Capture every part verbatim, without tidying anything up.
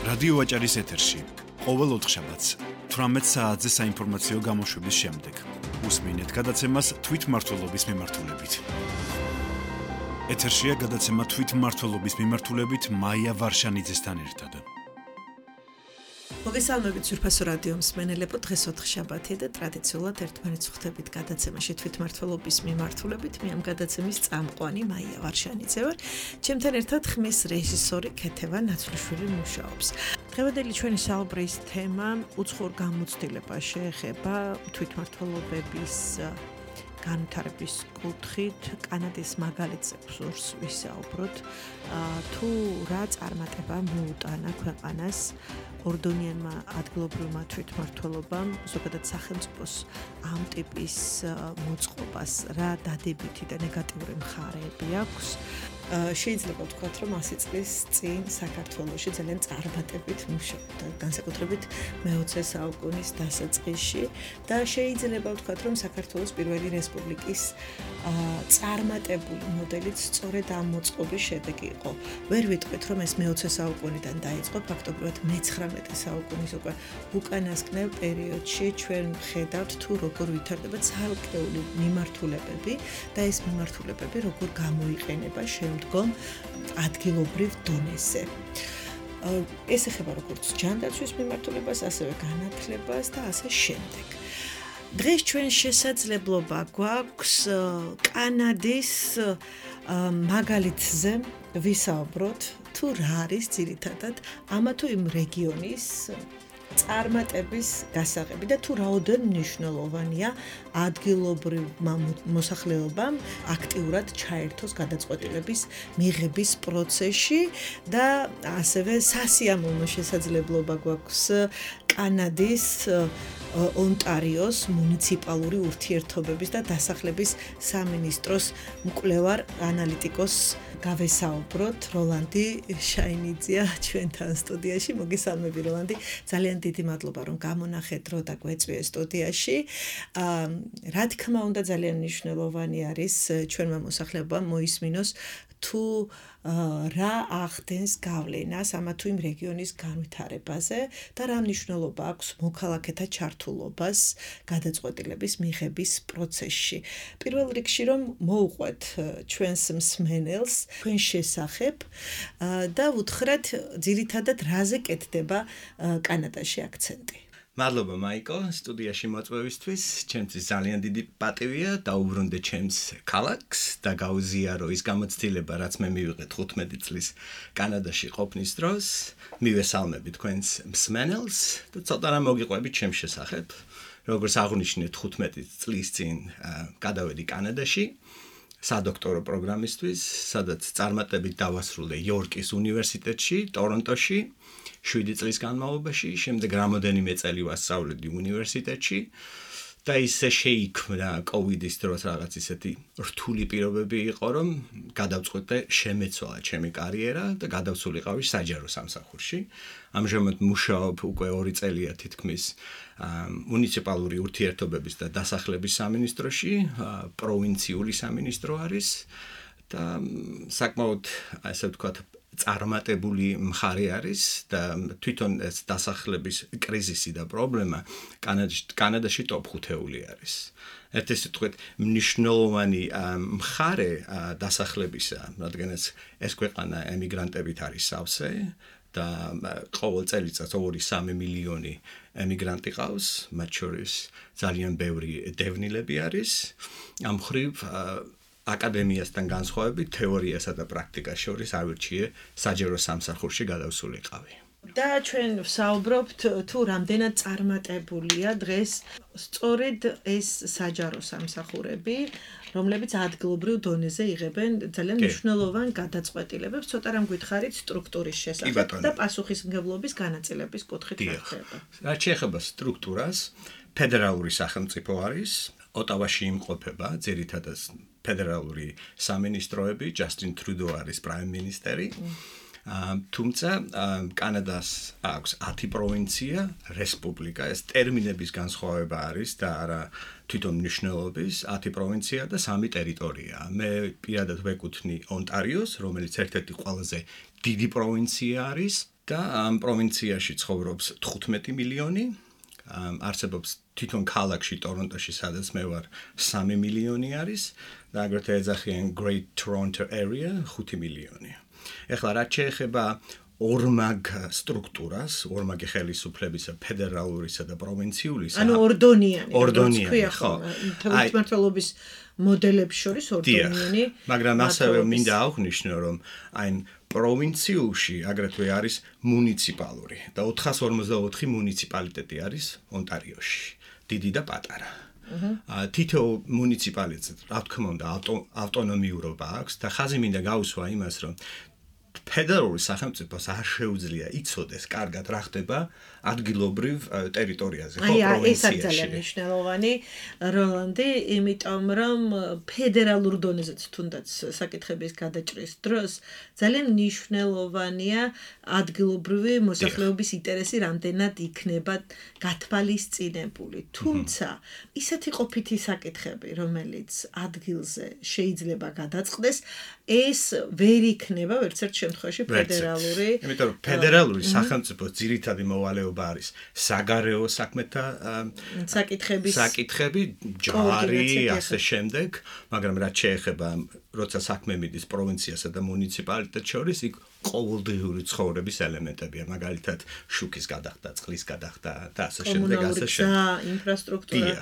რადიო ვაჭარის ეთერში ყოველ ოთხშაბათს თვრამეტ საათზე საინფორმაციო გამოშვების შემდეგ უსმინეთ გადაცემას თვითმმართველობის მიმართულებით. ეთერშია გადაცემა თვითმმართველობის მიმართულებით მაია ვარშანიძესთან ერთად. მოგესალმებით ძვირფასო რადიო მსმენელებო, დღეს ოთხშაბათია და ტრადიციულად ერთმანეთს ხვდებით გადაცემაში თვითმმართველობის მიმართულებით. მე ამ გადაცემის წამყვანი მაია ვარშანიძე ვარ. ჩემთან ერთად ხმის რეჟისორი ქეთევა ნაცვლიშვილი მუშაობს. დღევანდელი ჩვენი საუბრის თემა უცხოურ გამოცდილებას შეეხება თვითმმართველობების განვითარების კუთხით, კანადის მაგალითზე ვსურს ვისაუბროთ, თუ რა წარმატება მოუტანა ქვეყანას ორდონიანმა ადგილობრივმა თვითმმართველობამ, ზოგადად სახელმწიფოს ამ ტიპის მოწყობას, რა დადებითი და ნეგატიური მხარეები აქვს. შეიძლება ვთქვათ, რომ ასი წლის წინ საქართველოში ძალიან წარმატებით მუშაობდა, განსაკუთრებით მეოცე საუკუნის დასაწყისში და შეიძლება ვთქვათ, რომ საქართველოს პირველი რესპუბლიკის წარმატებული მოდელიც სწორედ ამ მოწყობის შედეგი იყო. ვერ ვიტყვით, რომ ეს მეოცე საუკუნიდან დაიწყო, ფაქტობრივად მეცხრამეტე საუკუნის უკვე უკანასკნელ პერიოდში ჩვენ ვხედავთ, თუ როგორ ვითარდება ცალკეული მიმართულებები და ეს მიმართულებები როგორ გამოიყენება შემდგომ ადგილობრივ დონეზე. ეს ეხება როგორც ჯანდაცვის მიმართულებას, ასევე განათლებას და ასე შემდეგ. დღეს ჩვენ შესაძლებლობა გვაქვს კანადის მაგალითზე ვისაუბროთ, თუ რა არის ძირითადად ამა თუ იმ რეგიონის წარმატების გასაღები და თუ რაოდენ მნიშვნელოვანია ადგილობრივმა მოსახლეობამ აქტიურად ჩაერთოს გადაწყვეტილების მიღების პროცესში და ასევე სასიამოვნო შესაძლებლობა გვაქვს კანადის ონტარიოს მუნიციპალური ურთიერთობების და დასახლების სამინისტროს მკვლევარ ანალიტიკოს გავესაუბროთ. როლანდი შაინიძეა ჩვენთან სტუდიაში. მოგესალმები როლანდი. ძალიან დიდი მადლობა რომ გამონახეთ დრო და გვეწვიე სტუდიაში. რა თქმა უნდა ძალიან მნიშვნელოვანი არის ჩვენმა მოსახლეობამ მოისმინოს თუ რა ახდენს გავლენას ამა თუ იმ რეგიონის განვითარებაზე და რა მნიშვნელობა აქვს მოქალაქეთა ჩართულობას გადაწყვეტილების მიღების პროცესში. პირველ რიგში რომ მოუყვეთ ჩვენს მსმენელს თქვენ შესახებ და უთხრათ ძირითადად რაზე კეთდება კანადაში აქცენტი. მადლობა მაიკო, სტუდიაში მოწვევისთვის. ჩემთვის ძალიან დიდი პატივია დაუბრუნდე ჩემს ქალაქს და გაუზიარო ის გამოცდილება, რაც მე მივიღე თხუთმეტი წლის კანადაში ყოფნის დროს. მივესალმები თქვენს მსმენელს და ცოტა რამ მოგიყვებით ჩემს შესახებ. როგორც აღნიშნეთ, თხუთმეტი წლის წინ გადავედი კანადაში სადოქტორო პროგრამისთვის, სადაც წარმატებით დავასრულე იორკის უნივერსიტეტში, ტორონტოში. შვიდი წლის განმავლობაში, შემდეგ რამოდენიმე წელი ვასწავლედი უნივერსიტეტში და ისე შეიქმნა კოვიდის დროს რაღაც ისეთი რთული პირობები იყო, რომ გადავწყვიტე შემეცვალა ჩემი კარიერა და გადავსულიყავი საჯარო სამსახურში. ამჟამად მუშაობ უკვე ორი წელია თითქმის მუნიციპალური ურთიერთობების და დასახლების სამინისტროში, პროვინციული სამინისტრო არის და საკმაოდ ასე ვთქვათ წარმატებული მხარე არის და თვითონ ეს დასახლების კრიზისი და პრობლემა კანადაში ტოპ ხუთეული არის. ერთი სიტყვით მნიშვნელოვანი მხარე დასახლებისა, რადგანაც ეს ქვეყანა ემიგრანტებით არის სავსე და ყოველ წელიწადს ორი სამი მილიონი ემიგრანტი ყავს, მათ შორის ძალიან ბევრი დევნილები არის. ამ მხრივ აკადემიასთან განსხვავებით თეორიასა და პრაქტიკას შორის ავირჩიე საჯარო სამსახურში გადავსულიყავი. და ჩვენ ვსაუბრობთ თუ რამდენად წარმატებულია დღეს სწორედ ეს საჯარო სამსახურები, რომლებიც ადგილობრივ დონეზე იღებენ ძალიან მნიშვნელოვან გადაწყვეტილებებს. ცოტა რამ გითხარით სტრუქტურის შესახებ და პასუხისმგებლობის განაწილების კუთხით რა ხდება. რაც შეეხება სტრუქტურას, ფედერალური სახელმწიფო არის, ოტავაში იმყოფება ძირითადად ფედერალური სამინისტროები, ჯასტინ ტრუდო არის პრაიმ მინისტერი. თუმცა კანადას აქვს ათი პროვინცია, რესპუბლიკა, ეს ტერმინების განსხვავება არის და არა თვითონ მნიშვნელობის, ათი პროვინცია და სამი ტერიტორია. მე პირადად ვეკუთვნი ონტარიოს, რომელიც ერთ-ერთი ყველაზე დიდი პროვინცია არის და ამ პროვინციაში ცხოვრობს თხუთმეტი მილიონი, არსებობს თვითონ ქალაქში ტორონტოში, სადაც მე ვარ, სამი მილიონი არის და აგრეთვე ეძახიან Great Toronto Area ხუთი მილიონი. ეხლა რაც შეეხება ორმაგ სტრუქტურას, ორმაგი ხელისუფლებისა, ფედერალურისა და პროვინციულისა. ანუ ორდონიანი, ორდონიანი, ხო. თვითმმართველობის მოდელებს შორის ორდონიანი. მაგრამ ასევე მინდა აღვნიშნო, რომ აი პროვინციულში აგრეთვე არის მუნიციპალური და ოთხას ორმოცდაოთხი მუნიციპალიტეტი არის ონტარიოში, დიდი და პატარა. თითოეულ მუნიციპალიტეტს, რა თქმა უნდა, ავტონომიურობა აქვს და ხაზი მინდა გაუსვა იმას, რომ ფედერალური სახელმწიფოს არ შეუძლია იცოდეს კარგად რა ხდება ადგილობრივ ტერიტორიაზე, ხო, პროვინციაში. აი, ეს არის ძალიან მნიშვნელოვანი, როლანდი, იმიტომ რომ ფედერალურ დონეზეც თუნდაც საკითხების გადაჭრის დროს ძალიან მნიშვნელოვანია ადგილობრივი მოსახლეობის ინტერესი რამდენად იქნება გათვალისწინებული. თუმცა, ისეთი ყოფითი საკითხები, რომელიც ადგილზე შეიძლება გადაწყდეს, ეს ვერ იქნება ვერცერთ შემთხვევაში ფედერალური. იმიტომ რომ ფედერალური სახელმწიფოს ძირითადი მოვალეობა არის საგარეო საქმეთა საკითხების საკითხები, ჯარი, ასე შემდეგ, მაგრამ რაც შეეხება როცა საქმე მიდის პროვინციასა და მუნიციპალიტეტს შორის, იქ ყოველდღიური ცხოვრების ელემენტებია, მაგალითად შუქის გადახდა, წყლის გადახდა და ასე შემდეგ, ასე შემდეგ. კომუნალური ინფრასტრუქტურა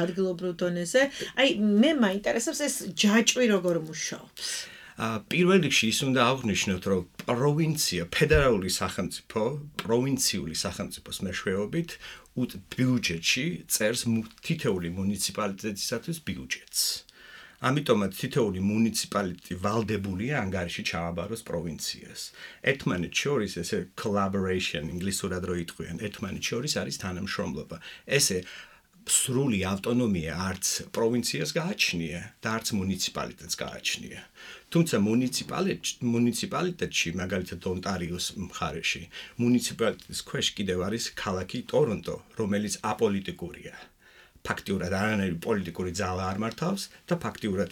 ადგილობრივ დონეზე. აი, მე მაინტერესებს ეს ჯაჭვი როგორ მუშაობს. პირველ რიგში ის უნდა აღვნიშნოთ, რომ პროვინცია, ფედერალური სახელმწიფო, პროვინციული სახელმწიფოს მეშვეობით ბიუჯეტში წერს თითოეული მუნიციპალიტეტისათვის ბიუჯეტს. ამიტომაც თითოეული მუნიციპალიტეტი ვალდებულია ანგარიში ჩააბაროს პროვინციას. ერთმანეთს შორის ესე collaboration, ინგლისურად რო იტყვიან, ერთმანეთს შორის არის თანამშრომლობა. ესე სრული ავტონომია არც პროვინციას გააჩნია და არც მუნიციპალიტეტს გააჩნია. თუმცა მუნიციპალიტეტში, მაგალითად ონტარიოს მხარეში, მუნიციპალიტეტის ქვეშ კიდევ არის ქალაქი ტორონტო, რომელიც აპოლიტიკურია. ფაქტიურად არანაირი პოლიტიკური ძალა არ მართავს და ფაქტიურად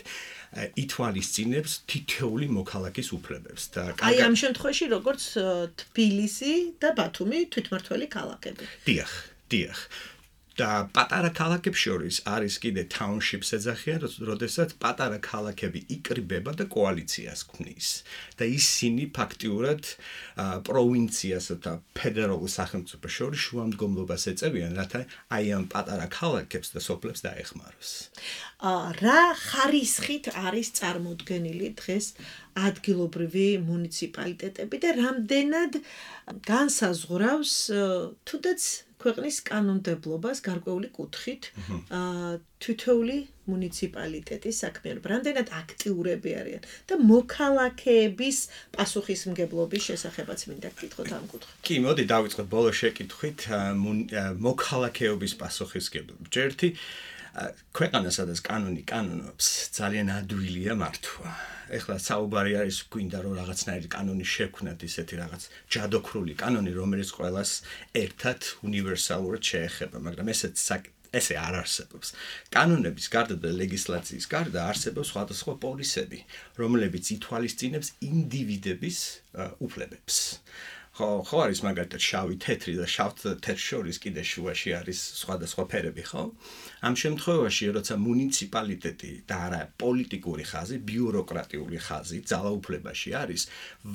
ითვალისწინებს თითოეული მოქალაქის უფლებებს და აი ამ შემთხვევაში როგორც თბილისი და ბათუმი თვითმმართველი ქალაქები. დიახ, დიახ. და პატარა ქალაქებს შორის არის კიდე townships ეძახიან, როდესაც პატარა ქალაქები იკრიბება და კოალიციას ქმნის. და ისინი ფაქტიურად პროვინციასა და ფედერალურ სახელმწიფოს შორის შუამდგომლობას ეწევიან, რათა აი ამ პატარა ქალაქებს და სოფლებს დაეხმაროს. რა ხარისხით არის წარმოდგენილი დღეს ადგილობრივი მუნიციპალიტეტები და რამდენად განსაზღვრავს თუნდაც ქვეყნის კანონმდებლობას გარკვეული კუთხით თითოეული მუნიციპალიტეტის საქმიანობა, რამდენად აქტიურები არიან და მოქალაქეების პასუხისმგებლობის შესახებაც მინდა გკითხოთ ამ კუთხით. კი, მოდი დავიწყოთ ბოლო შეკითხვით მოქალაქეობის პასუხისმგებლობა. ჯერთი ქვეყანა, სადაც კანონი კანონობს, ძალიან ადვილია მართვა. ეხლა საუბარი არის გვინდა რომ რაღაცნაირი კანონი შექმნათ, ისეთი რაღაც ჯადოქრული კანონი, რომელიც ყველას ერთად უნივერსალურად შეეხება, მაგრამ ესეც ესე არ არსებობს. კანონების გარდა და ლეგისლაციის გარდა არსებობს სხვადასხვა პოლისები, რომლებიც ითვალისწინებს ინდივიდების უფლებებს. ხო, ხო არის მაგალითად შავი, თეთრი და შავ თეთრ შორის კიდე შუაში არის სხვადასხვა ფერები, ხო? ამ შემთხვევაში, როცა მუნიციპალიტეტი და არა პოლიტიკური ხაზი, ბიუროკრატიული ხაზი ძალაუფლებაში არის,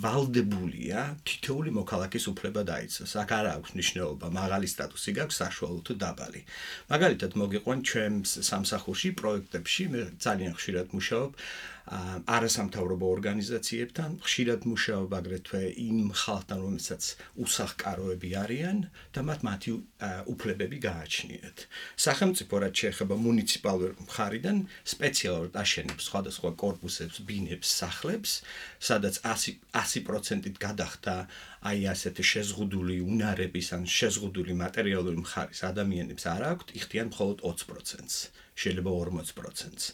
ვალდებულია თითოეული მოქალაქის უფლება დაიცვას. აქ არ აქვს მნიშვნელობა, მაღალი სტატუსი გაქვს, საშუალო თუ დაბალი. მაგალითად, მოგიყვან ჩემს სამსახურში პროექტებში, მე ძალიან ხშირად მუშაობ არასამთავრობო ორგანიზაციებთან, ხშირად მუშაობ აგრეთვე იმ ხალხთან, რომელსაც უსახლკაროები არიან და მათ მათი უფლებები გააჩნიათ. სახელმწიფო რაც შეეხება მუნიციპალურ მხარიდან სპეციალურად აშენებს სხვადასხვა კორპუსებს, ბინებს, სახლებს, სადაც ასი პროცენტით გადახდა აი ასეთი შეზღუდული უნარების ან შეზღუდული მატერიალური მხარის ადამიანებს არ აქვთ, იხდიან მხოლოდ ოცი პროცენტს. შეიძლება ორმოცი პროცენტს.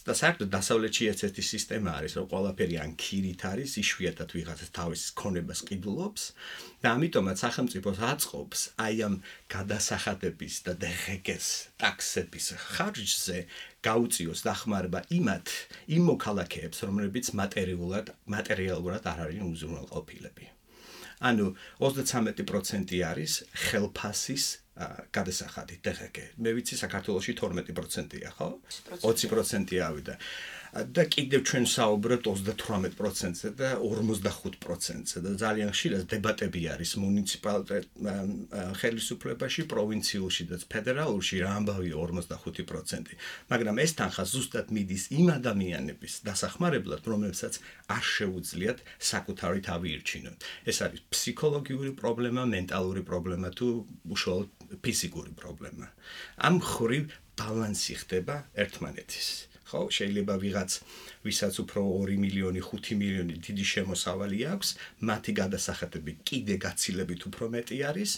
და საერთოდ დასავლეთში ესეთი სისტემა არის, რომ ყველაფერი ან ქირით არის, იშვიათად ვიღაცა თავის ქონებას ყიდულობს და ამიტომაც სახელმწიფოს აწყობს აი ამ გადასახადების და დღგ-ის ტაქსების ხარჯზე გაუწიოს დახმარება იმათ იმ მოქალაქეებს, რომლებიც მატერიალურად მატერიალურად არ არიან უზრუნველყოფილები. ანუ ოცდათვრამეტი პროცენტი არის ხელფასის გადასახადი. დღეგე მე ვიცი საქართველოში თორმეტი პროცენტია, ხო? ოცი პროცენტი ავიდა. და კიდევ ჩვენ საუბრობთ ოცდათვრამეტ პროცენტზე და ორმოცდახუთ პროცენტზე და ძალიან ხშირად დებატები არის მუნიციპალიტეტ ხელისუფლებაში, პროვინციულში და ფედერალურში რა ამბავია ორმოცდახუთი პროცენტი. მაგრამ ეს თანხა ზუსტად მიდის იმ ადამიანების დასახმარებლად, რომლებსაც არ შეუძლიათ საკუთარი თავი ირჩინონ. ეს არის ფსიქოლოგიური პრობლემა, მენტალური პრობლემა თუ უშუალოდ ფიზიკური პრობლემა. ამ ხრივ ბალანსი ხდება ერთმანეთის. ხო, შეიძლება ვიღაც ვისაც უფრო ორი მილიონი, ხუთი მილიონი დიდი შემოსავალი აქვს, მათი გადასახადები კიდე გაცილებით უფრო მეტი არის,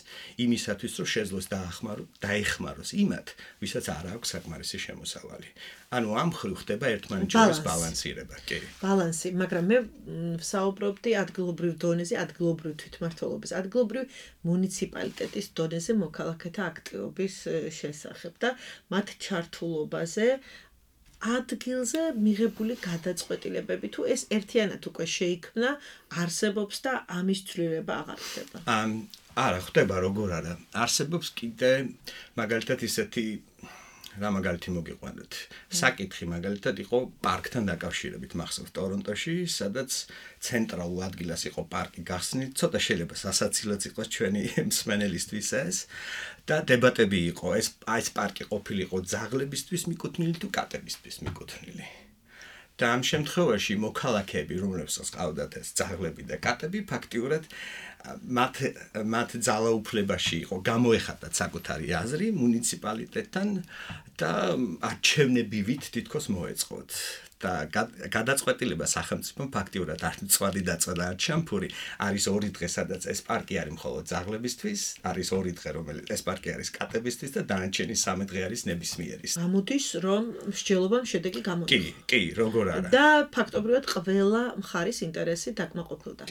იმისათვის რომ შეძლოს დაახმაროს, დაეხმაროს იმათ, ვისაც არ აქვს საკმარისი შემოსავალი. ანუ ამ ხრივ ხდება ერთმანეთს შორის ბალანსირება, კი. ბალანსი, მაგრამ მე ვსაუბრობდი ადგილობრივ დონეზე, ადგილობრივ თვითმმართველობის, ადგილობრივ მუნიციპალიტეტის დონეზე მოქალაქეთა აქტივობის შესახებ და მათ ჩართულობაზე ადგილზე მიღებული გადაწყვეტილებები თუ ეს ერთიანად უკვე შეიქმნა, არსებობს და ამის ცვლილება აღარ ხდება. არა, ხდება როგორ არა. არსებობს კიდე მაგალითად ისეთი რა მაგალითი მოგიყვანოთ. საკითხი მაგალითად იყო პარკთან დაკავშირებით მახსოვს Ტორონტოში, სადაც ცენტრალურ ადგილას იყო პარკი გახსნით, ცოტა შეიძლება სასაცილოც იყოს ჩვენი მსმენელისთვის ეს და დებატები იყო, ეს ეს პარკი ყოფილიყო ძაღლებისთვის მიკუთვნილი თუ კატებისთვის მიკუთვნილი. და ამ შემთხვევაში მოქალაქეები, რომლებსაც ყავდათ ეს ძაღლები და კატები, ფაქტიურად მათ მათ ძალაუფლებაში იყო, გამოეხატათ საკუთარი აზრი მუნიციპალიტეტთან და არჩევნებივით თითქოს მოეწყოთ. და გადაწყვეტილება სახელმწიფომ ფაქტიურად არ მწვადი დაწვა არ ჩამფური არის ორი დღე, სადაც ეს პარკი არის მხოლოდ ძაღლებისთვის, არის ორი დღე, რომელიც ეს პარკი არის კატებისთვის და დანარჩენი სამი დღე არის ნებისმიერის. ამოდის რომ მსჯელობამ შედეგი გამოიღო. კი, კი, როგორ არა. და ფაქტობრივად ყველა მხარის ინტერესი დაკმაყოფილდა.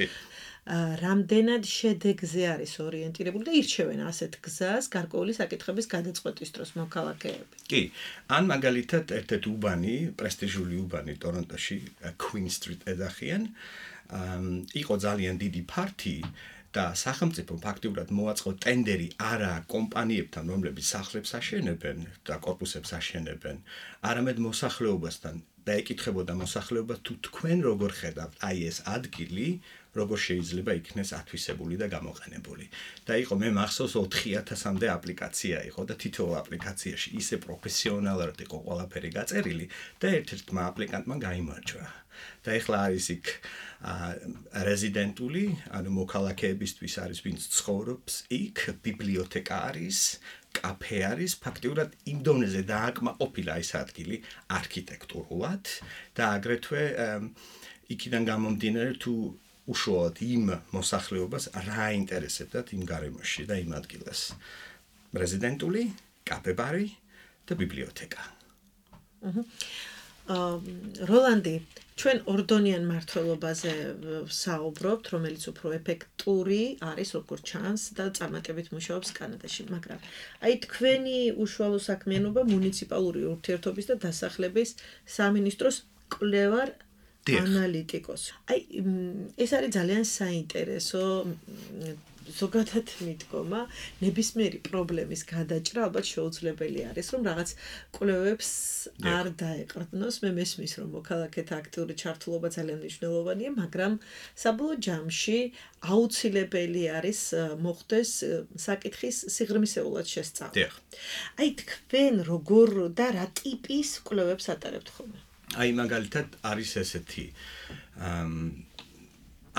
რამდენად შედეგზე არის ორიენტირებული და ირჩევენ ასეთ გზას გარკვეული საკითხების გადაწყვეტის დროს მოქალაქეები. კი, ან მაგალითად ერთ-ერთი უბანი, პრესტიჟული უბანი Ტორონტოში, Queen Street ეძახიან, იყო ძალიან დიდი ფართი და სახელმწიფო ფაქტიურად მოაწყო ტენდერი არა კომპანიებთან, რომლებიც სახლებს აშენებენ და კორპუსებს აშენებენ, არამედ მოსახლეობასთან და ეკითხებოდა მოსახლეობა თუ თქვენ როგორ ხედავთ აი ეს ადგილი როგორ შეიძლება იქნეს ათვისებული და გამოყენებული. და იყო მე მახსოვს ოთხი ათასამდე აპლიკაცია იყო და თითოეულ აპლიკაციაში ისე პროფესიონალურად იყო ყველაფერი გაწერილი და ერთ-ერთმა აპლიკანტმა გაიმარჯვა. და ეხლა არის იქ რეზიდენტული, ანუ მოქალაქეებისთვის არის, ვინც ცხოვრობს იქ, ბიბლიოთეკა არის, კაფე არის, ფაქტიურად იმ დონეზე დააკმაყოფილა ეს ადგილი არქიტექტურულად და აგრეთვე იქიდან გამომდინარე თუ უშუალოდ იმ მოსახლეობას რა აინტერესებდათ იმ გარემოში და იმ ადგილას. რეზიდენტული, კაფე-ბარი და ბიბლიოთეკა. როლანდი, ჩვენ ორდონიან მმართველობაზე საუბრობთ, რომელიც უფრო ეფექტური არის, როგორც ჩანს და წარმატებით მუშაობს კანადაში, მაგრამ აი თქვენი უშუალო საქმიანობა მუნიციპალური ურთიერთობის და დასახლების სამინისტროს კვლევარ ანალიტიკოს. აი ეს არის ძალიან საინტერესო ზოგადად მიდგომა, ნებისმიერი პრობლემის გადაჭრა ალბათ შეუძლებელი არის, რომ რაღაც კვლევებს არ დაეყრდნოს. მე მესმის, რომ მოქალაქეთა აქტიური ჩართულობა ძალიან მნიშვნელოვანია, მაგრამ საბოლოო ჯამში აუცილებელი არის მოხდეს საკითხის სიღრმისეულად შესწავლა. აი თქვენ როგორ და რა ტიპის კვლევებს ატარებთ ხოლმე? აი მაგალითად არის ესეთი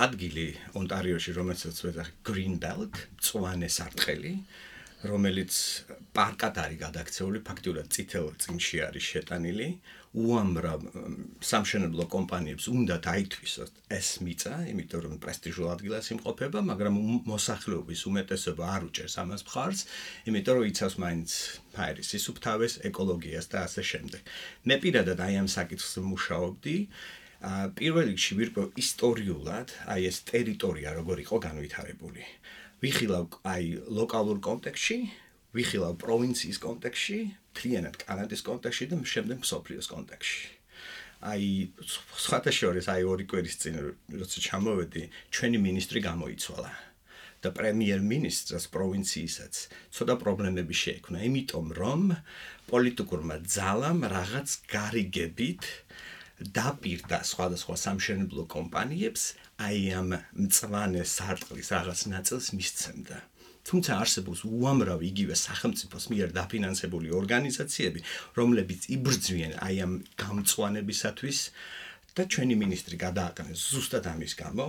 ადგილი ონტარიოში, რომელსაც ვეძახი Green Belt, მწვანე სარტყელი, რომელიც პარკად არის გადაქცეული, ფაქტიურად წითელ წინში არის შეტანილი, უამრავ სამშენებლო კომპანიებს უნდა დაითვისოთ ეს მიწა, იმიტომ რომ პრესტიჟულ ადგილას იმყოფება, მაგრამ მოსახლეობის უმეტესობა არ უჭერს ამას მხარს, იმიტომ რომ იცავს მაინც ფაერის სისუფთავეს, ეკოლოგიას და ასე შემდეგ. მე პირადად აი ამ საკითხს მუშაობდი. პირველ რიგში ვირკვევ ისტორიულად, აი ეს ტერიტორია როგორ იყო განვითარებული. ვიხილავ აი ლოკალურ კონტექსტში, ვიხილავ პროვინციის კონტექსტში, მთლიანად კანადის კონტექსტში და შემდეგ მსოფლიოს კონტექსტში. აი სხვათა შორის აი ორი კვირის წინ როცა ჩამოვედი, ჩვენი მინისტრი გამოიცვალა. და პრემიერ-მინისტრს პროვინცiyისაც ცოტა პრობლემები შეექმნა, იმიტომ რომ პოლიტიკურმა ძალამ რაღაც გარიგებით დაპირდა სხვადასხვა სამშენებლო კომპანიებს აი ამ მწვანე სარტყლის რაღაც ნაწილს მისცემდა. თუმცა არსებობს უამრავი იგივე სახელმწიფოს მიერ დაფინანსებული ორგანიზაციები, რომლებიც იბრძვიან აი ამ გამწვანებისათვის და ჩვენი მინისტრი გადააყენეს ზუსტად ამის გამო,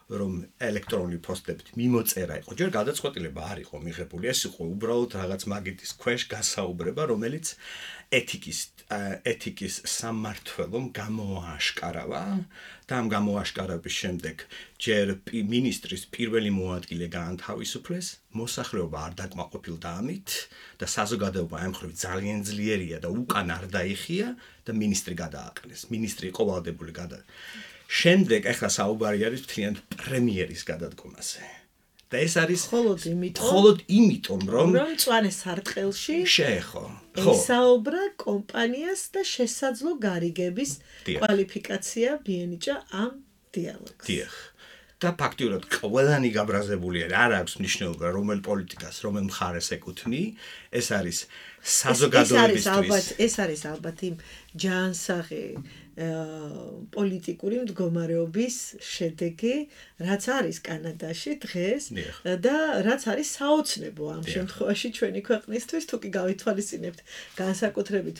რომ ელექტრონული პოსტებით მიმოწერა იყო. ჯერ გადაწყვეტილება არ იყო მიღებული, ეს იყო უბრალოდ რაღაც მაგიტის ქვეშ გასაუბრება, რომელიც ეთიკის ეთიკის სამმართველომ გამოააშკარავა და ამ გამოააშკარების შემდეგ ჯერ მინისტრის პირველი მოადგილე გაანთავისუფლეს, მოსახლეობა არ დაკმაყოფილდა ამით და საზოგადოება ამ მხრივ ძალიან ძლიერია და უკან არ დაიხია და მინისტრი გადააყენეს. მინისტრი იყო ვალდებული გადა. შემდეგ ახლა საუბარი არის მთლიანად პრემიერის გადადგომაზე. და ეს არის მხოლოდ იმიტომ, მხოლოდ იმიტომ, რომ რომ მწვანე სარტყელში შეეხო. ხო. ესაუბრა კომპანიას და შესაძლო გარიგების დიახ. კვალიფიკაცია მიენიჭა ამ დიალოგს. დიახ. და ფაქტიურად ყველანი გაბრაზებული არ აქვს მნიშვნელობა რომელ პოლიტიკას, რომელ მხარეს ეკუთვნი, ეს არის საზოგადოებისთვის. ეს არის ალბათ იმ ჯანსაღი პოლიტიკური მდგომარეობის შედეგი, რაც არის კანადაში დღეს და რაც არის საოცნებო ამ შემთხვევაში ჩვენი ქვეყნისთვის, თუ კი გავითვალისწინებთ განსაკუთრებით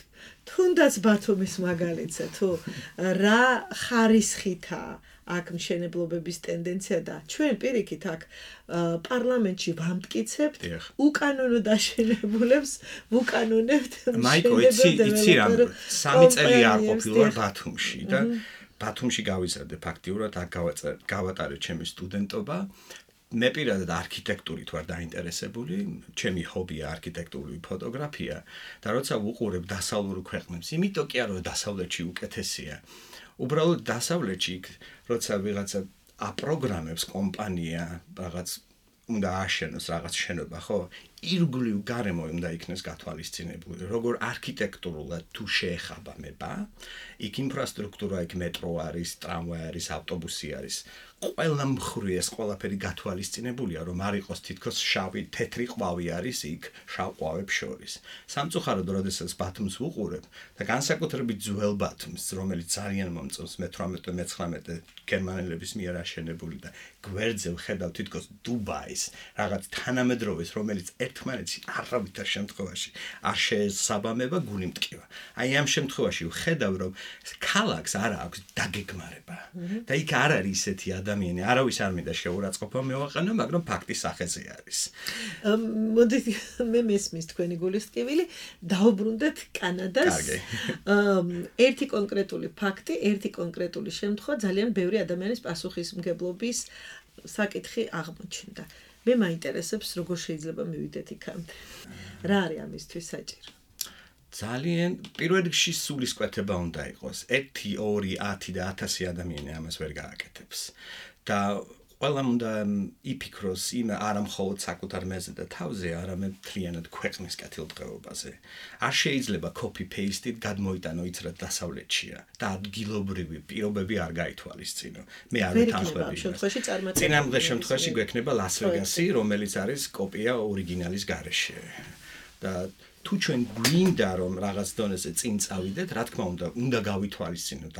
თუნდაც ბათუმის მაგალითზე, თუ რა ხარისხითაა აქ მშენებლობების ტენდენცია და ჩვენ პირიქით აქ პარლამენტში ვამტკიცებთ უკანონო დაშენებულებს ვუკანონებთ მაიკო იცი იცი რამ სამი წელი არ ყოფილა ბათუმში და ბათუმში გავიზარდე ფაქტიურად აქ გავატარე ჩემი სტუდენტობა მე პირადად არქიტექტურით ვარ დაინტერესებული ჩემი ჰობია არქიტექტურული ფოტოგრაფია და როცა ვუყურებ დასავლურ ქვეყნებს იმიტომ კი არა რომ დასავლეთში უკეთესია უბრალოდ დასავლეთში როცა ვიღაცა აპროგრამებს კომპანია რაღაც უნდა აშენოს რაღაც შენობა ხო ირგვლივ გარემო უნდა იქნეს გათვალისწინებული როგორ არქიტექტურულად თუ შეეხაბამება იქ ინფრასტრუქტურა იქ მეტრო არის ტრამვაი არის ავტობუსი არის ყველა მხრივ ეს ყველაფერი გათვალისწინებულია რომ არ იყოს თითქოს შავი თეთრი ყვავი არის იქ შავ ყვავებს შორის სამწუხაროდ როდესაც ბათუმს ვუყურებ და განსაკუთრებით ძველ ბათუმს რომელიც ძალიან მომწონს მეთვრამეტე მეცხრამეტე გერმანელების მიერ აშენებული და გვერდზე ვხედავ თითქოს დუბაის რაღაც თანამედროვეს რომელიც ერთმანეთში არავითარ შემთხვევაში არ შეესაბამება გული მტკივა აი ამ შემთხვევაში ვხედავ რომ ქალაქს არ აქვს დაგეგმარება და იქ არ არის ისეთი ადამიანი არავის არ მინდა შეურაცხყოფა მევაყენო მაგრამ ფაქტის სახეზე არის მოდით მე მესმის თქვენი გულისწყივილი დაუბრუნდეთ კანადას ერთი კონკრეტული ფაქტი ერთი კონკრეტული შემთხვევა ძალიან ბევრი ადამიანის პასუხისმგებლობის საკითხი აღმოჩნდა მე მაინტერესებს როგორ შეიძლება მივიდეთ იქამდე რა არის ამისთვის საჭირო ძალიან პირველ რიგში სულისკვეთება უნდა იყოს ერთი ორი ათი და ათასი ადამიანი ამას ვერ გააკეთებს და ყველამ უნდა იფიქროს იმ არა მხოლოდ საკუთარ მეზე და თავზე არამედ მთლიანად ქვეყნის კეთილდღეობაზე არ შეიძლება copy paste-ით გადმოიტანო იც რა დასავლეთშია და ადგილობრივი პირობები არ გაითვალისწინო მე არ ვეთანხმები წინამძღე შემთხვევაში გვექნება ლას-ვეგასი რომელიც არის კოპია ორიგინალის გარეშე და თუ ჩვენ გვინდა რომ რაღაც დონეზე წინ წავიდეთ, რა თქმა უნდა, უნდა გავითვალისწინოთ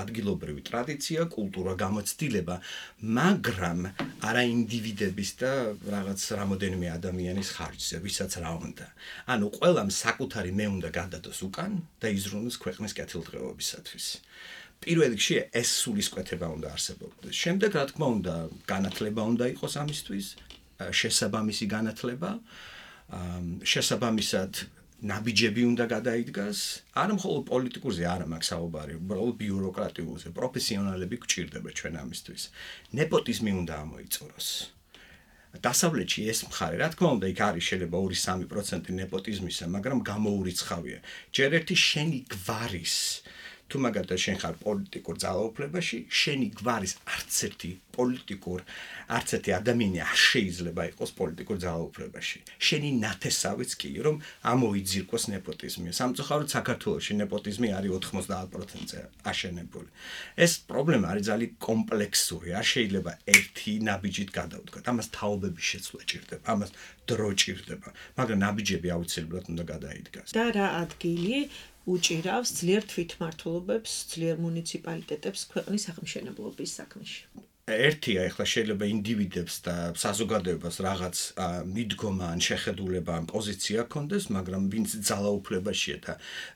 ადგილობრივი ტრადიცია, კულტურა, გამოცდილება, მაგრამ არა ინდივიდების და რაღაც რამოდენიმე ადამიანის ხარჯზე, ვისაც რა უნდა. ანუ ყველამ საკუთარი მე უნდა გადადოს უკან და იზრუნოს ქვეყნის კეთილდღეობისათვის. პირველ რიგში ეს სულისკვეთება უნდა არსებობდეს. შემდეგ რა თქმა უნდა, განათლება უნდა იყოს ამისთვის, შესაბამისი განათლება. შესაბამისად ნაბიჯები უნდა გადაიდგას არ მხოლოდ პოლიტიკურზე არ მაქვს საუბარი უბრალოდ ბიუროკრატიულზე პროფესიონალები გვჭირდება ჩვენ ამისთვის ნეპოტიზმი უნდა ამოიწუროს დასავლეთში ეს მხარე რა თქმა უნდა იქ არის შეიძლება ორი სამი პროცენტი ნეპოტიზმისა მაგრამ გამოურიცხავია ჯერ ერთი შენი გვარის თუ მაგალითად შენ ხარ პოლიტიკურ ძალაუფლებაში, შენი გვარის არც ერთი პოლიტიკურ, არც ერთი ადამიანი არ შეიძლება იყოს პოლიტიკურ ძალაუფლებაში. შენი ნათესავიც კი, რომ ამოიძირკოს ნეპოტიზმი. სამწუხაროდ საქართველოში ნეპოტიზმი არის ოცდაათ პროცენტზე აშენებული. ეს პრობლემა არის ძალიან კომპლექსური. არ შეიძლება ერთი ნაბიჯით გადავდგათ. ამას თაობების შეცვლა ჭირდება, ამას დრო ჭირდება, მაგრამ ნაბიჯები აუცილებლად უნდა გადაიდგას. და რა ადგილი უჭირავს ძლიერ თვითმმართველობებს, ძლიერ მუნიციპალიტეტებს ქვეყნის აღმშენებლობის საქმეში? ერთია ეხლა შეიძლება ინდივიდებს და საზოგადოებას რაღაც მიდგომა ან შეხედულება ან პოზიცია ჰქონდეს, მაგრამ ვინც ძალაუფლებაშია და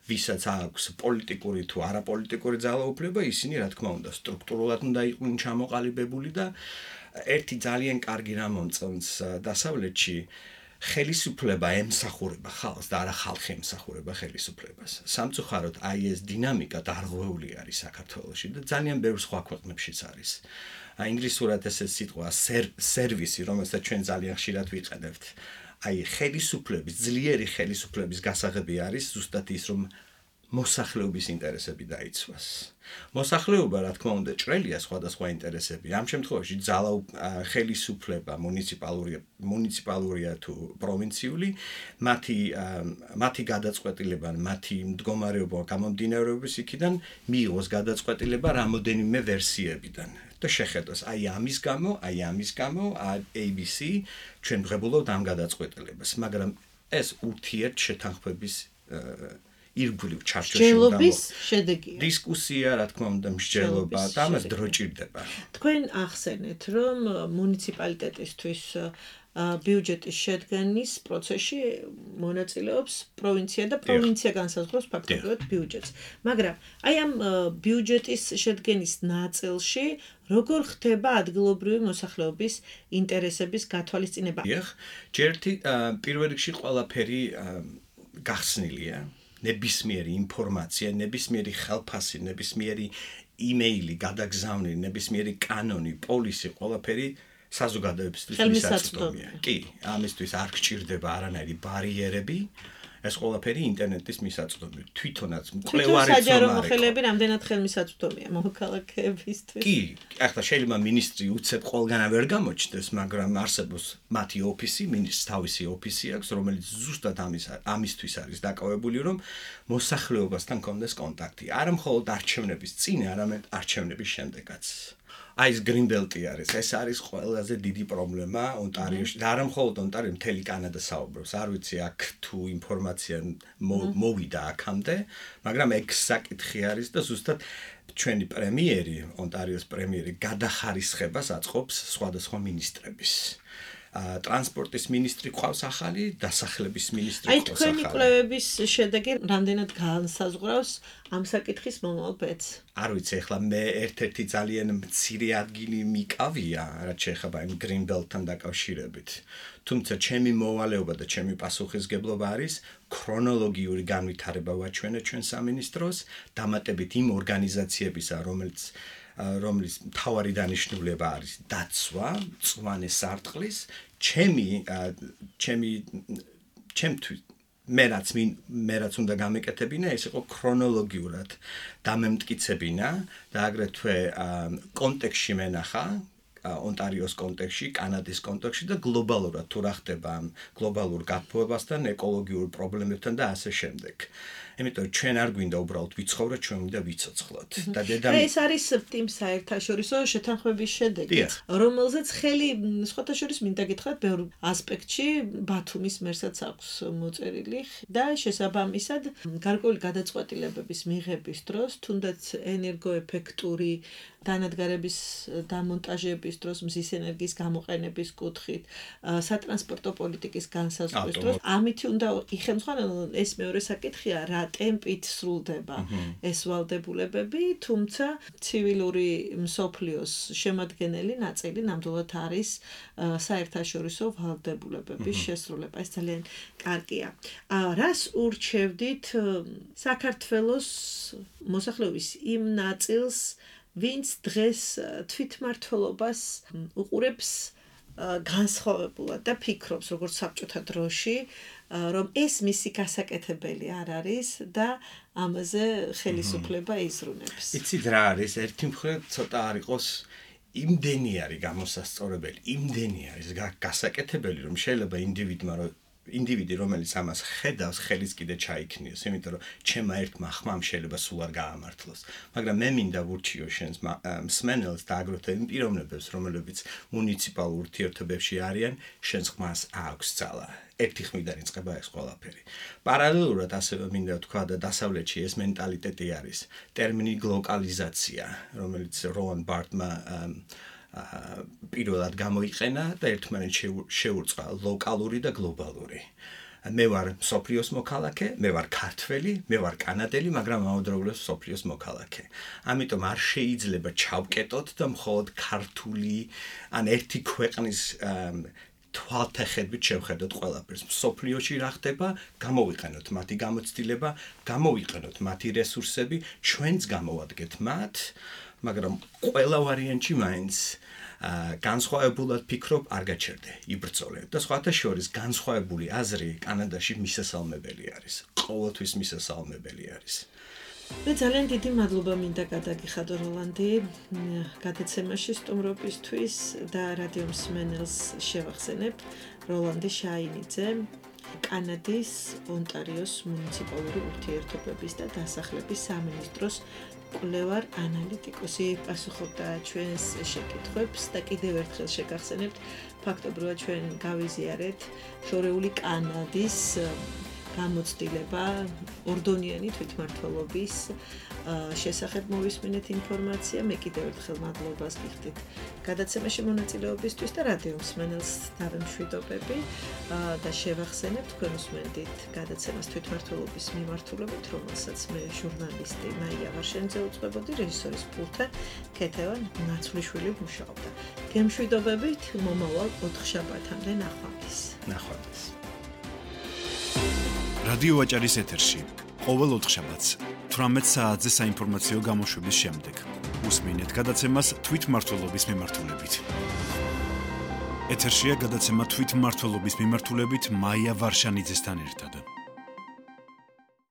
ვისაც აქვს პოლიტიკური თუ არაპოლიტიკური ძალაუფლება, ისინი რა თქმა უნდა სტრუქტურულად უნდა იყვნენ ჩამოყალიბებული და ერთი ძალიან კარგი რამ მომწონს დასავლეთში ხელისუფლება ემსახურება ხალხს და არა ხალხი ემსახურება ხელისუფლებას. სამწუხაროდ აი ეს დინამიკა დარღვეული არის საქართველოში და ძალიან ბევრ სხვა ქვეყნებშიც არის. ინგლისურად ეს სიტყვა სერვისი, რომელსაც ჩვენ ძალიან ხშირად ვიყენებთ. აი ხელისუფლების, ძლიერი ხელისუფლების გასაღები არის ზუსტად ის, რომ მოსახლეობის ინტერესები დაიცვას. მოსახლეობა, რა თქმა უნდა, ჭრელია სხვადასხვა ინტერესები. ამ შემთხვევაში ძალა ხელისუფლება, მუნიციპალურია, მუნიციპალურია თუ პროვინციული, მათი მათი გადაწყვეტილება, მათი მდგომარეობა გამომდინარეობის იქიდან მიიღოს გადაწყვეტილება რამოდენიმე ვერსიებიდან. და შეხედოს, აი ამის გამო, აი ამის გამო, A B C ჩვენ ვღებულობთ ამ გადაწყვეტილებას, მაგრამ ეს ურთიერთ შეთანხმების ირგვლივ ჩარჩოში უნდა შედეგია. დისკუსია, რა თქმა უნდა, მსჯელობა და ამას დრო ჭირდება. თქვენ ახსენეთ, რომ მუნიციპალიტეტისთვის ბიუჯეტის შედგენის პროცესში მონაწილეობს პროვინცია და პროვინცია განსაზღვრავს ფაქტობრივად ბიუჯეტს. მაგრამ აი ამ ბიუჯეტის შედგენის ნაწილში როგორ ხდება ადგილობრივი მოსახლეობის ინტერესების გათვალისწინება? ჯერთი პირველ რიგში ყველაფერი გახსნილია. ნებისმიერი ინფორმაცია, ნებისმიერი ხელფასი, ნებისმიერი იმეილი გადაგზავნილი, ნებისმიერი კანონი, პოლისი, ყველაფერი საზოგადოებისთვის მისაწვდომია. კი, ამისთვის არ გჭირდება არანაირი ბარიერები. ეს ყველაფერი ინტერნეტის მისაწვდომია. თვითონაც მკვლევარიც საჯარო მოხელეები რამდენად ხელმისაწვდომია მოქალაქეებისთვის? კი, ახლა შეიძლება მინისტრი უცებ ყველგანა ვერ გამოჩნდეს, მაგრამ არსებობს მათი ოფისი, მინისტრს თავისი ოფისი აქვს, რომელიც ზუსტად ამის ამისთვის არის დაკავებული, რომ მოსახლეობასთან კონდეს კონტაქტი. არა მხოლოდ არჩევნების წინ, არამედ არჩევნების შემდეგაც. აი ეს გრინბელტი არის, ეს არის ყველაზე დიდი პრობლემა ონტარიოში. და არა მხოლოდ ონტარიო, მთელი კანადა საუბრობს. არ ვიცი აქ თუ ინფორმაცია მოვიდა აქამდე, მაგრამ ეგ საკითხი არის და ზუსტად ჩვენი პრემიერი, ონტარიოს პრემიერი გადახარისხებას აწყობს სხვადასხვა მინისტრების. ტრანსპორტის მინისტრი ყავს ახალი, დასახლების მინისტრი აი ყავს ახალი. თქვენი კვლევების შედეგი რამდენად განსაზღვრავს ამ საკითხის მომავალ ბედს? არ ვიცი, ახლა მე ერთ-ერთი ძალიან მცირე ადგილი მიკავია, რაც შეეხება იმ გრინბელტთან დაკავშირებით. თუმცა ჩემი მოვალეობა და ჩემი პასუხისგებლობა არის ქრონოლოგიური განვითარება ვაჩვენე ჩვენ სამინისტროს, დამატებით იმ ორგანიზაციებისა, რომელიც რომლის მთავარი დანიშნულება არის დაცვა, მწვანე სარტყლის, ჩემი ჩემი ჩემთვის მე რაც მე რაც უნდა გამეკეთებინა, ეს იყო ქრონოლოგიურად დამემტკიცებინა და აგრეთვე კონტექსტში მენახა ონტარიოს კონტექსტში, კანადის კონტექსტში და გლობალურად თუ რა ხდება გლობალურ გაფრთხილებასთან, ეკოლოგიურ პრობლემებთან და ასე შემდეგ. იმიტომ ჩვენ არ გვინდა უბრალოდ ვიცხოვროთ, ჩვენ გვინდა ვიცოცხლოთ. და დედამ ეს არის ტიმ საერთაშორისო შეთანხმების შედეგი, რომელზეც ხელი სხვათა შორის მინდა გითხრათ ბევრ ასპექტში ბათუმის მერსაც აქვს მოწერილი და შესაბამისად გარკვეული გადაწყვეტილებების მიღების დროს, თუნდაც ენერგოეფექტური დანადგარების დამონტაჟების დროს, მზის ენერგიის გამოყენების კუთხით, სატრანსპორტო პოლიტიკის განსაზღვრის დროს, ამითი უნდა იხელმძღვანელონ ეს მეორე საკითხია, რა ტემპით სრულდება ეს ვალდებულებები, თუმცა ცივილური მსოფლიოს შემადგენელი ნაწილი ნამდვილად არის საერთაშორისო ვალდებულებების შესრულება. ეს ძალიან კარგია. რას ურჩევდით საქართველოს მოსახლეობის იმ ნაწილს, ვინც დღეს თვითმმართველობას უყურებს განსხვავებულად და ფიქრობს, როგორც საბჭოთა დროში, რომ ეს მისი გასაკეთებელი არ არის და ამაზე ხელისუფლება იზრუნებს. იცით რა არის, ერთი მხრივ ცოტა არ იყოს იმდენი არის გამოსასწორებელი, იმდენი არის გასაკეთებელი, რომ შეიძლება ინდივიდმა რომ ინდივიდი რომელიც ამას ხედავს, ხელის კიდე ჩაიქნიოს, იმიტომ რომ ჩემმა ერთმა ხმამ შეიძლება სულ არ გაამართლოს. მაგრამ მე მინდა ვურჩიო შენს მსმენელს და აგრეთვე იმ პიროვნებებს, რომლებიც მუნიციპალურ ურთიერთობებში არიან, შენს ხმას აქვს ძალა. ერთი ხმიდან იწყება ეს ყველაფერი. პარალელურად ასევე მინდა ვთქვა და დასავლეთში ეს მენტალიტეტი არის, ტერმინი გლოკალიზაცია, რომელიც როლან ბარტმა პირველად გამოიყენა და ერთმანეთს შეურწყა ლოკალური და გლობალური. მე ვარ მსოფლიოს მოქალაქე, მე ვარ ქართველი, მე ვარ კანადელი, მაგრამ ამავდროულად მსოფლიოს მოქალაქე. ამიტომ არ შეიძლება ჩავკეტოთ და მხოლოდ ქართული ან ერთი ქვეყნის თვალთახედვით შევხედოთ ყველაფერს. მსოფლიოში რა ხდება, გამოვიყენოთ მათი გამოცდილება, გამოვიყენოთ მათი რესურსები, ჩვენც გამოვადგეთ მათ, მაგრამ ყველა ვარიანტში მაინც განსხვავებულად ფიქრობ, არ გაჩერდე, იბრძოლე. და სხვათა შორის განსხვავებული აზრი კანადაში მისასალმებელი არის. ყოველთვის მისასალმებელი არის. მე ძალიან დიდი მადლობა მინდა გადაგიხადო როლანდი გადაცემაში სტუმრობისთვის და რადიო მსმენელს შევახსენებ როლანდი შაინიძე კანადის ონტარიოს მუნიციპალური ურთიერთობების და დასახლების სამინისტროს კვლევარ ანალიტიკოსი პასუხობდა ჩვენს შეკითხვებს და კიდევ ერთხელ შეგახსენებთ ფაქტობრივად ჩვენ გავიზიარეთ შორეული კანადის გამოცდილება ორდონიანი თვითმმართველობის შესახებ მოვისმინეთ ინფორმაცია. მე კიდევ ერთხელ მადლობას გიხდით გადაცემაში მონაწილეობისთვის და რადიო მსმენელს დავემშვიდობები და შევახსენებ თქვენ უსმენდით გადაცემას თვითმმართველობის მიმართულებით, რომელსაც მე ჟურნალისტი მაია ვარშენიძე უძღვებოდი, რეჟისორის პულტთან ქეთევან ნაცვლიშვილი მუშაობდა. გემშვიდობებით მომავალ ოთხშაბათამდე ნახვამდის. ნახვამდის. რადიო ვაჭარის ეთერში ყოველ ოთხშაბათს თვრამეტ საათზე საინფორმაციო გამოშვების შემდეგ უსმინეთ გადაცემას თვითმმართველობის მიმართულებით. ეთერშია გადაცემა თვითმმართველობის მიმართულებით მაია ვარშანიძესთან ერთად.